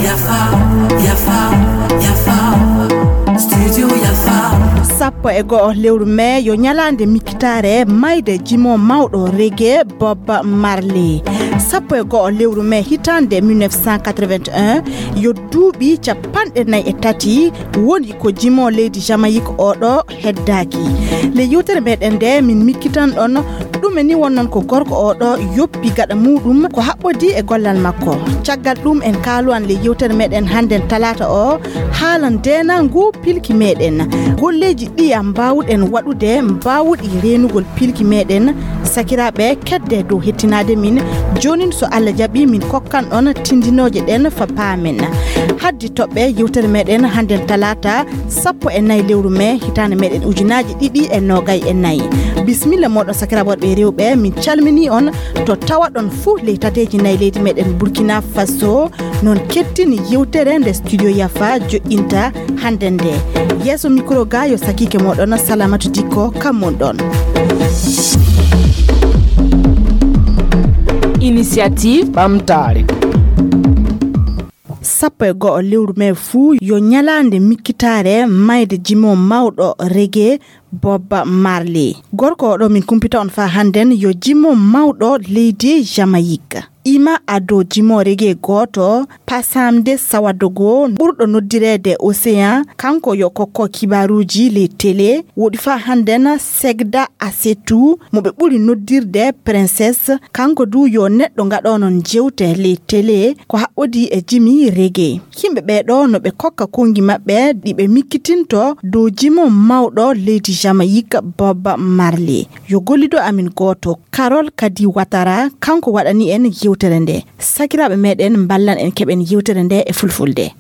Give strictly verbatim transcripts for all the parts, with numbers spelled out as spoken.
Yafa, yafa, yafa. Studio Yafa. Sappo e go'o lewru mee yo ñalaande mikkitaare mayde jimo mawɗo reggae Bob Marley. Sappo e go'o lewru mee hitaande mille neuf cent quatre-vingt-un yo duuɓi capanɗe nayi e tati woni ko jimo leydi Jamaïque oɗo heddaaki. Le yewtere meɗen nde min mikkitan ɗon ɗume ni wonnon ko gorko oɗo yoppi gaɗa muɗum ko haɓɓodi e gollal makko. Caggal ɗum en kaaluwan le yewtere meɗen hannden talaata o haala ndeenangu pilki meɗen. Golleeji ɗiya mbaawuɗen waɗude mbaawuɗi reenugol pilki meɗen. Sakiraaɓe kedde dow hettinaade min. Joonin so Allah jaɓi min kokkan ɗon tindinooje ɗen fa paamen. Haddi toɓɓe yewtere meɗen hannden talaata sappo e nayi lewru mee hitaande meɗen ujunaaji ɗiɗi e noogay e nayi. Bisimilla moɗon sakiraaɓe worɓe e rewɓe, min calmini on to tawaɗon fuu ley tateeji nayi leydi meɗen Burkina Faso. Non kettini yewtere nde studio Yafa joƴƴinta hannden nde. Yeeso mikro ga yo sakiike moɗon Salamatu Dikko kammun ɗon. Initiative ɓamtaare. Sappo e go'o lewru mee fuu yo ñalaande mikkitaare mayde jimo mawɗo reggae Bob Marley. Gorko oɗo min kumpita on faa hannden yo jimo mawɗo leydi Jamaïque. Ima ado jimo reggae gooto, Passamde Sawadogo, ɓurɗo noddireede Océan, kanko yo kokko kibaaruuji ley télé, woɗi faa hannden Segda Asetu, mo ɓe ɓuri noddirde Princess, kanko du yo neɗɗo gaɗoonon jewte ley télé, ko haɓɓodi e jimi reggae. Yimɓe ɓee ɗoo no ɓe kokka konngi maɓɓe ɗi ɓe mikkitinto dow jimo mawɗo leydi Jamaïque Bob Marley. Yo gollido amin gooto, Carol Kadi Watara, kanko waɗani en yewtere nde. Sakiraaɓe meɗen mballan en keɓen yewtere nde e fulfulde.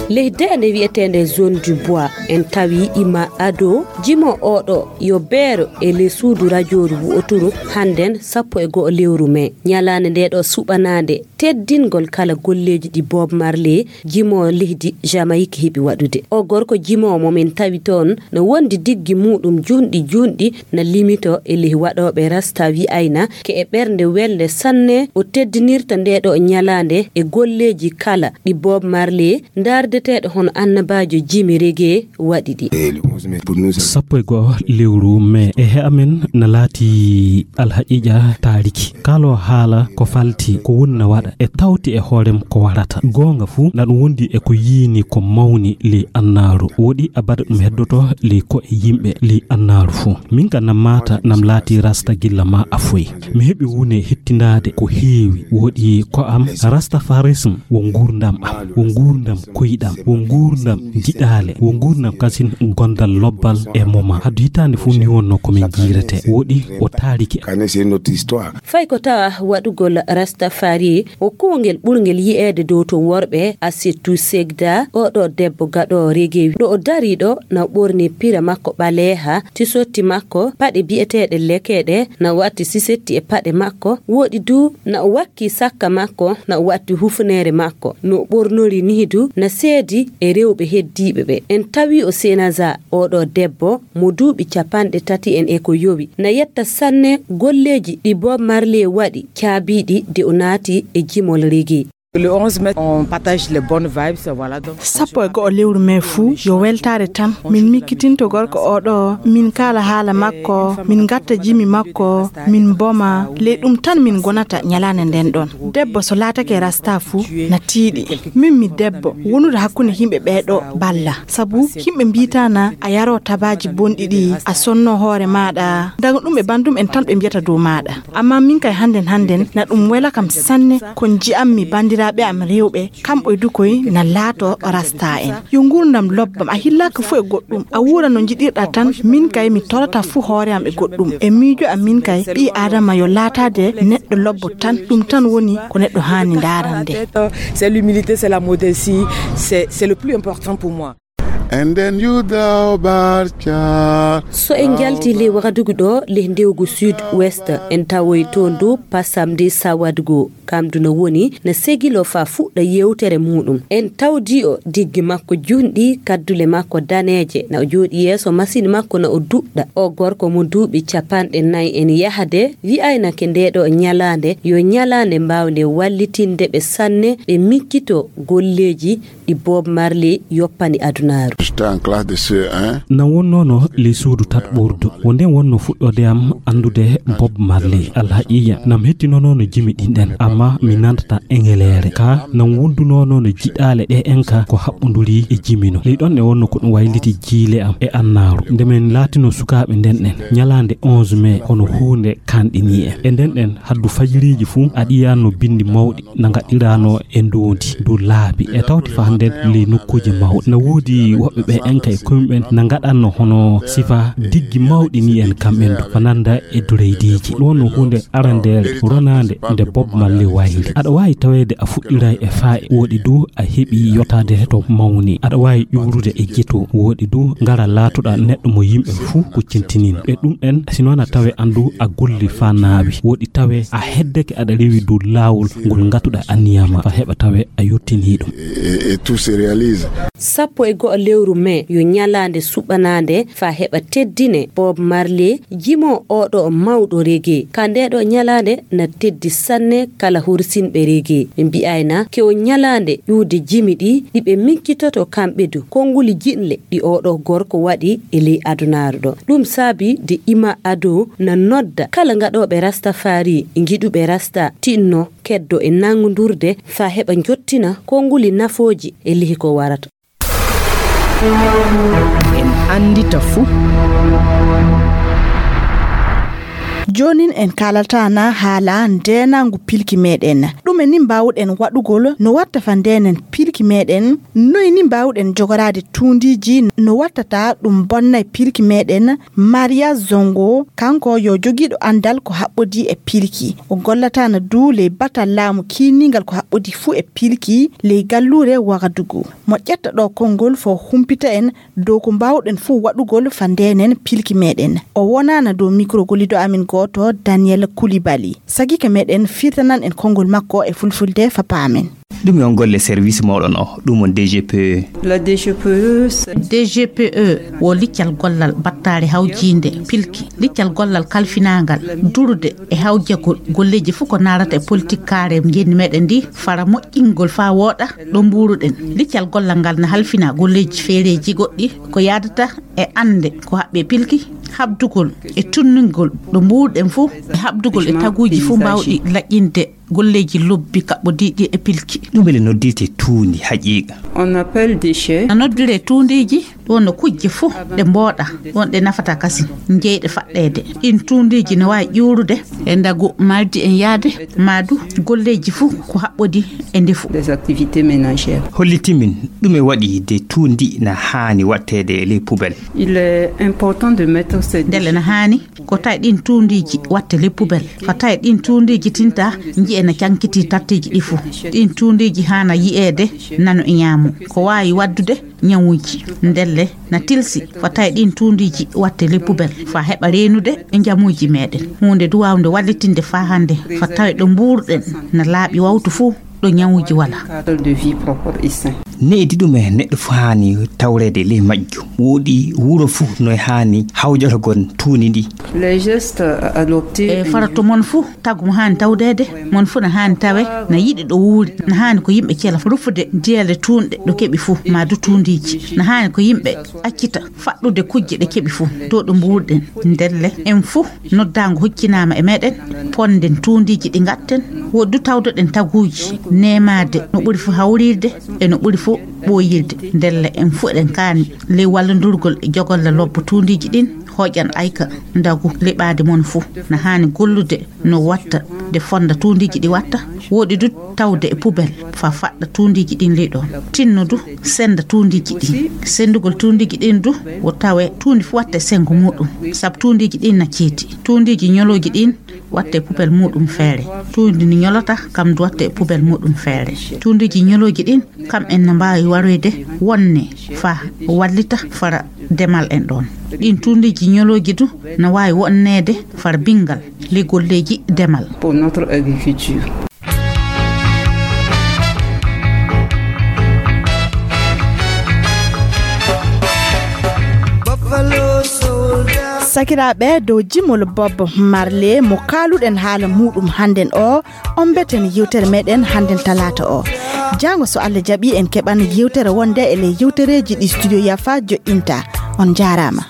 Ley deende wi'eteende Zone du Bois, en tawi Ima Ado, jimo oɗo yo beero e ley suudu rajooru wu'oturu hannden sappo e go'o lewru mee. Ñalaande nde ɗo suɓanaande teddingol kala golleeji ɗi Bob Marley, jimo leydi Jamaïque heɓi waɗude. O gorko jimo mo min tawi toon no wondi diggi muɗum juunɗi juunɗi na limito e ley waɗooɓe rasta wi'ayna ke e ɓernde welnde sanne o teddinirta nde ɗo ñalaande e golleeji kala ɗi Bob Marley ndaardeteeɗo hono annabaajo jimi reggae waɗi ɗi. Sappo e go'o lewru mee e he amen na laati alhaqiiqa taariki. Kaaloowo haala ko falti ko woni na waɗa e tawti e hoorem ko warata. Goonga fuu na ɗum wondi e ko yiini ko mawni ley annaaru. Woɗi abada ɗum heddoto ley ko'e yimɓe ley annaaru fuu. Min ka nam maata nam laati rasta gilla ma a foy. Mi heɓi wune hettindaade ko heewi. Woɗi ko am rastafarism wo nguurndam am, wo nguurndam koyɗam, wo nguurndam giɗaale, wo nguurndam kasin gondal lobbal e moma. Hadu hitaande fuu ni wonno ko min jiirete. Woɗi o taariki. Fay ko tawa waɗugol Rastafari ko kuwngel ɓurngel yi'eede dow to worɓe, a surtout Segda, oɗo debbo gaɗoowo reggae ɗo o dari ɗo na ɓorni pira makko ɓaleeha, tisotti makko, paɗe bi'eteeɗe lekeɗe, na watti sisetti e paɗe makko, woɗi du na o wakki sakka makko, na o watti hufuneere makko, no o ɓornori nii du na seedi e rewɓe heddiiɓe ɓe. En tawi o Senaza, oɗo debbo mo duuɓi capanɗe tati en e ko yowi, na yetta sanne golleeji ɗi Bob Marley waɗi caabiiɗi de o naati e jimol reggae. Le onze mai, on partage les bonnes vibes, voilà, donc. Sappo e go'o lewru mee fuu yo weltaare tan. Min mikkitinto gorko oɗo, min kaala haala makko, min ngatta jimi makko, min mboma. Ley ɗum tan min ngonata ñalaande nden ɗon. Debbo so laatake rasta fuu na tiiɗi. Min mi debbo, wonude hakkunde yimɓe ɓee ɗo balla. Sabu yimɓe mbiitana a yaroo tabaaji bonɗi ɗi, a sonno hoore maaɗa. Daga ɗum e bandum en tan ɓe mbiyata dow maaɗa. Amma min kay hannden hannden na ɗum wela kam sanne ko nji'ammi banndiraaɓe am rewɓe, kamɓe du koy na laato rasta en. Yo nguurndam lobbam, a hillaaka fuu e goɗɗum, a wuura no njiɗirɗa tan. Min kay mi torata fuu hoore am e goɗɗum. E miijo am min kay ɓii Aadama yo laataade neɗɗo lobbo tan, ɗum tan woni ko neɗɗo haani ndaarande. C'est l'humilité, c'est la modestie, c'est, c'est le plus important pour moi. And then you thou bar child. So en njalti ley Wagadugu ɗo, ley ndewgu Sud West, en tawoy toon dow Pasamde Sawadugu. Kam du no woni na segiloo faa fuɗɗa yewtere muuɗum. En tawdii o diggi makko junɗi, kaddule makko daneeje, na o jooɗii yeeso masin makko na o duɗɗa. O gorko mo duuɓi capanɗe nay en yahde, wi'aynake ndee ɗoo ñalaande yo ñalaande mbaawnde wallitinde ɓe sanne, ɓe miccitoo golleeji ɗi Bob Marley yoppani adunaaru. J'étais en classe de C E un. Nam wonnoono ley suudu tatɓordu. Wo ndeen wonnoo fuɗɗoode am anndude Bob Marley. Alhaqiiqa, nam hettinonoono jimi ɗin ɗen, ammaa mi nantataa engeleere. Ka nam wondunoono no jiɗaale ɗe en ka ko haɓɓonduri e jimi no. Ley ɗon e wonnoo ko ɗum wayliti jiile am e annaaru. Nde men laatinoo sukaaɓe nden ɗen, ñalaande onze mai, hono huunde kanɗinii en. E nden ɗen, haddu fajiriiji fuu, a yi'aano binndi mawɗi na ngaɗiranoo e ndoondi dow laabi e tawti faa hannden ley nokkuuje mawɗe. Na woodi woɓɓe ɓe en kay koymuɓen na ngaɗannoo hono sifa diggi mawɗi nii en kamɓe du, ko nanda e dureydiiji. Ɗum wonnoo huunde arandeere ronaande nde Bob Marley wayli. Aɗa waawi taweede a fuɗɗiray e faa'i, wooɗi du a heɓii yottaade to mawni. Aɗa waawi ƴuurude e jeto, wooɗi du ngara laatoɗaa neɗɗo mo yimɓe fuu kuccintini. E ɗum ɗen, si noon a tawe an du a golli faa naawi, wooɗi tawe a heddeke aɗa rewi dow laawol ngol ngatuɗaa anniya ma, faa heɓa tawe a yottinii ɗum. Et, et tout se réalise. Sappo e go'o lewru mai yo ñalaande suɓanaande faa heɓa teddine Bob Marley, jimo oo ɗoo mawɗo reggae. Ka ndee ɗoo ñalaande na teddi sanne kala hursinɓe reggae. Ɓe mbi'ayna ke o ñalaande ƴuwde jimi ɗi, ɗi ɓe miccitoto kamɓe du, konnguli jiɗle ɗi oo ɗoo gorko waɗi e ley adunaaru ɗoo. Ɗum saabi de Ima Ado na nodda kala ngaɗooɓe Rastafari, ngiɗuɓe Rasta, tinno, keddo e nanngundurde faa heɓa njottina konnguli nafooji e lihi ko warata. En anndita fuu. Joonin en kaalata na haala ndeenaangu pilki meɗen. Ɗume ni mbaawɗen waɗugol no watta fa ndeenen pilki meɗen? Noy ni mbaawɗen jogoraade tuundiiji no wattata ɗum bonnay pilki meɗen? Maria Zongo, kanko yo jogiiɗo anndal ko haɓɓodii e pilki. O gollata na duu ley batal laamu kiiningal ko haɓɓodii fuu e pilki ley galluure Wagadugu. Mo ƴetta ɗoo konngol fo humpita en dow ko mbaawɗen fuu waɗugol fa ndeenen pilki meɗen. O wonaana dow mikro golliiɗo amin gooto, Daniel Koulibaly. Sagike meɗen firtanan en konngol makko e fulfulde fa paamen. Ɗum on golle service mooɗon o, ɗum on D G P E. La D G P E, c'est D G P E wo liccal gollal battaare hawjiinde pilki, liccal gollal kalfinaangal durude e hawjagol golleeji fuu ko naarata e politik kaare ngenndi meɗen ndi, fara moƴƴingol faa wooɗa ɗo mbuuruɗen. Liccal gollal ngal na halfina golleeji feereeji goɗɗi ko yaadata e annde ko haɓɓi e pilki, haɓdugol e tunningol ɗo mbuuruɗen fuu, e haɓdugol e taguuji fuu mbaawɗi laƴƴinde golleeji lobbi kaɓɓodiiɗi e pilki. Ɗum ɓe noddirte tuundi haqiiqa. On appelle déchets. Na noddiree tuundiiji, ɗum no kujje fuu ɗe mbooɗa, ɗum ɗe nafataa kasi, jeyɗe faɗɗeede. Ɗiin tuundiiji no waawi ƴuurude e ndagu mardi en yaade, maa du golleeji fuu ko haɓɓodi e ndefu. Des activités ménagères. Holliti min ɗume waɗi de tuundi na haani waɗteede e ley poubelle. Il est important de mettre ces Ndelle na haani ko tawi ɗiin tuundiiji watte ley poubelle. Fa tawi ɗiin tuundiiji tinta nji'e na cankiti tattiiji ɗi fuu. Ɗiin tuundiiji haana yi'eede nano e ñaamo. Ko waawi waddude ñawuuji. Ndelle na tilsi fa tawi ɗiin tuundiiji watte ley poubelle. Fa heɓa reenude e njamuuji meɗen. Huunde du waawnde wallitinde fa hannde fa tawi ɗo mbuuruɗen na laaɓi wawtu fuu. Ɗo ñawuuji wala. Cadre de vie propre et sain. Needi ɗum e neɗɗo fuu haani tawreede ley majjum. Woodi wuro fuu no haani hawjoragol tuundi ndi. Les gestes adoptés. E farato mon fuu, tagu mo haani tawdeede, mon fuu na haani tawe, na yiɗi ɗo wuuri, na haani ko yimɓe cela, rufude diyeele tuunɗe ɗo keɓi fuu, maa du tuundiiji. Na haani ko yimɓe accita faɗɗude kujje ɗe keɓi fuu, dow ɗo mbuurɗen. Ndelle, en fuu noddaango huccinaama e meɗen, ponden tuundiiji ɗi ngaɗten, woɗɗu tawdoɗen taguuji, neemaade no ɓuri fuu hawrirde e no ɓuri fuu ɓooyirde. Ndelle, en fuu eɗen kaani ley wallondurgol e jogolle lobbo tuundiiji ɗin, hoƴan ayka ndagu liɓaade mon fuu. Na haani gollude no watta de fonda tuundiiji ɗi watta, woɗɗi du tawde e poubelle, fa faɗɗa tuundiiji ɗin ley ɗon. Tinno du senda tuundiiji ɗin. Sendugol tuundiiji ɗin du wo tawe tuundi fuu watta e sengo muuɗum, sabu tuundiiji ɗin na ceeti. Tuundiiji ñolooji ɗin watta e poubelle muuɗum feere. Tuundi ndi ñolata kam du watta e poubelle muuɗum feere. Tuundiiji ñolooji ɗin kam en na mbaawi waroyde wonne fa wallita fara demal en ɗon. Ɗin tuundiiji ñolooji du na waawi wonneede fara bingal ley golleeji demal. Pour notre agriculture. Sakiraaɓe, dow jimol Bob Marley mo kaaluɗen haala muuɗum hannden o, on mbeten yewtere meɗen hannden talaata o. Jaango so Allah jaɓi en keɓan yewtere wonde e ley yewtereeji ɗi Studio Yafa joɗɗinta. On njaaraama.